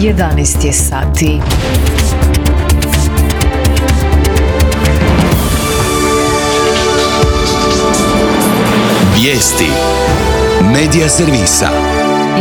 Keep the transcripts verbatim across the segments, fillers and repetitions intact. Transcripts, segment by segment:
jedanaest je sati. Vijesti Medija servisa.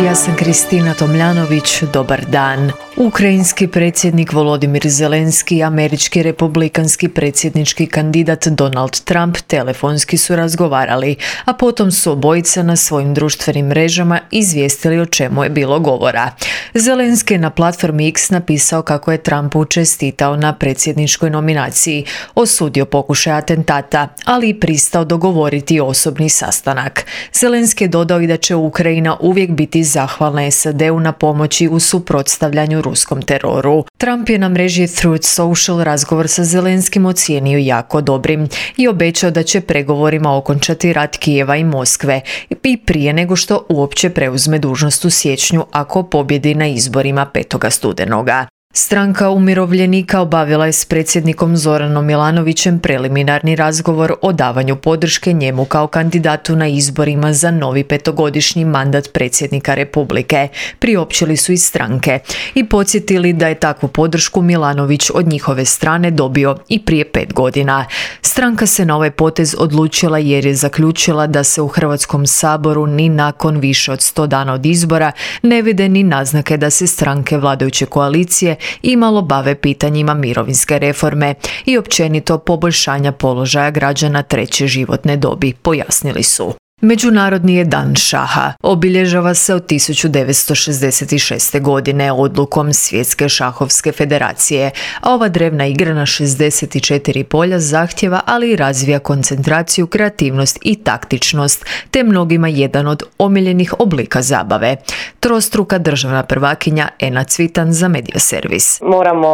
Ja sam Kristina Tomljanović, dobar dan. Ukrajinski predsjednik Volodimir Zelenski i američki republikanski predsjednički kandidat Donald Trump telefonski su razgovarali, a potom su obojica na svojim društvenim mrežama izvijestili o čemu je bilo govora. Zelenski je na platformi X napisao kako je Trumpu čestitao na predsjedničkoj nominaciji, osudio pokušaj atentata, ali i pristao dogovoriti osobni sastanak. Zelenski je dodao i da će Ukrajina uvijek biti zahvalna S A D-u na pomoći u suprotstavljanju ruskom teroru. Trump je na mreži Truth Social razgovor sa Zelenskim ocijenio jako dobrim i obećao da će pregovorima okončati rat Kijeva i Moskve i prije nego što uopće preuzme dužnost u siječnju ako pobjedi na izborima petog studenoga. Stranka umirovljenika obavila je s predsjednikom Zoranom Milanovićem preliminarni razgovor o davanju podrške njemu kao kandidatu na izborima za novi petogodišnji mandat predsjednika Republike. Priopćili su iz stranke i podsjetili da je takvu podršku Milanović od njihove strane dobio i prije pet godina. Stranka se na ovaj potez odlučila jer je zaključila da se u Hrvatskom saboru ni nakon više od sto dana od izbora ne vide ni naznake da se stranke vladajuće koalicije imalo bave pitanjima mirovinske reforme i općenito poboljšanja položaja građana treće životne dobi, pojasnili su. Međunarodni je dan šaha. Obilježava se od tisuću devetsto šezdeset šeste. godine odlukom Svjetske šahovske federacije, a ova drevna igra na šezdeset četiri polja zahtjeva, ali i razvija koncentraciju, kreativnost i taktičnost, te mnogima jedan od omiljenih oblika zabave. Trostruka državna prvakinja Ena Cvitan za Medija servis. Moramo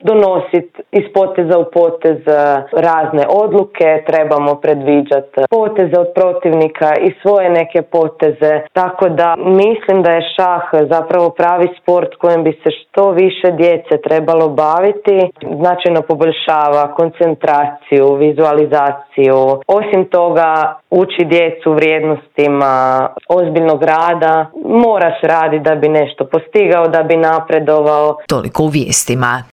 donositi iz poteza u potez razne odluke, trebamo predviđati poteze od protivnika i svoje neke poteze, tako da mislim da je šah zapravo pravi sport kojem bi se što više djece trebalo baviti. Značajno poboljšava koncentraciju, vizualizaciju. Osim toga uči djecu vrijednostima ozbiljnog rada. Moraš raditi da bi nešto postigao, da bi napredovao. Toliko u vijestima.